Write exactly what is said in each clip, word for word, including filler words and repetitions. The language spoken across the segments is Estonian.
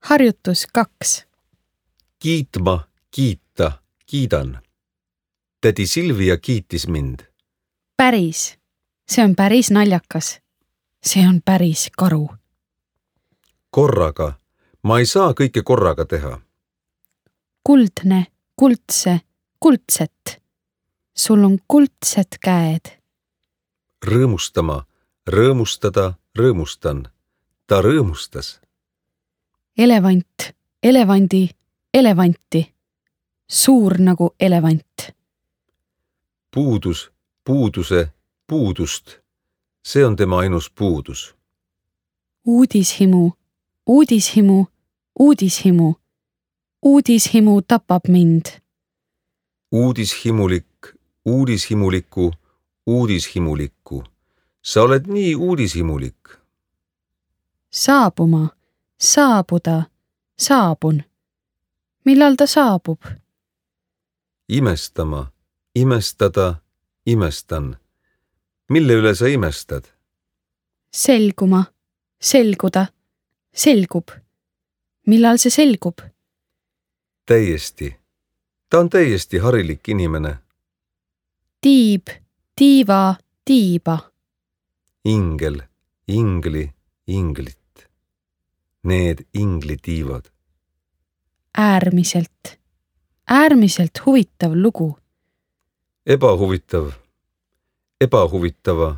Harjutus kaks. Kiitma, kiita, kiidan. Tädi Silvia kiitis mind. Päris. See on päris naljakas. See on päris karu. Korraga. Ma ei saa kõike korraga teha. Kuldne, kuldse, kuldset. Sul on kuldsed käed. Rõõmustama, rõõmustada, rõõmustan. Ta rõõmustas. Elevant, elevandi, elevanti. Suur nagu elevant. Puudus, puuduse, puudust. See on tema ainus puudus. Uudishimu, uudishimu, uudishimu. Uudishimu tapab mind. Uudishimulik, uudishimuliku, uudishimulikku. Sa oled nii uudishimulik. Saabuma, saabuda, saabun. Millal ta saabub? Imestama, imestada, imestan. Mille üle sa imestad? Selguma, selguda, selgub. Millal see selgub? Täiesti. Ta on täiesti harilik inimene. Tiib, tiiva, tiiba. Ingel, ingli, inglit. Need inglitiivad. Äärmiselt, äärmiselt huvitav lugu. Ebahuvitav, ebahuvitava,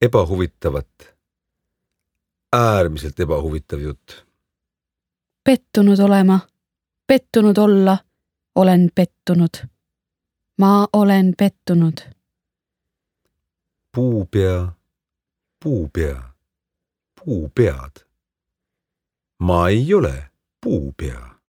ebahuvitavat. Äärmiselt ebahuvitav jutt. Pettunud olema, pettunud olla, olen pettunud. Ma olen pettunud. Puupea, puupea, puupead. Ma ei ole puupea.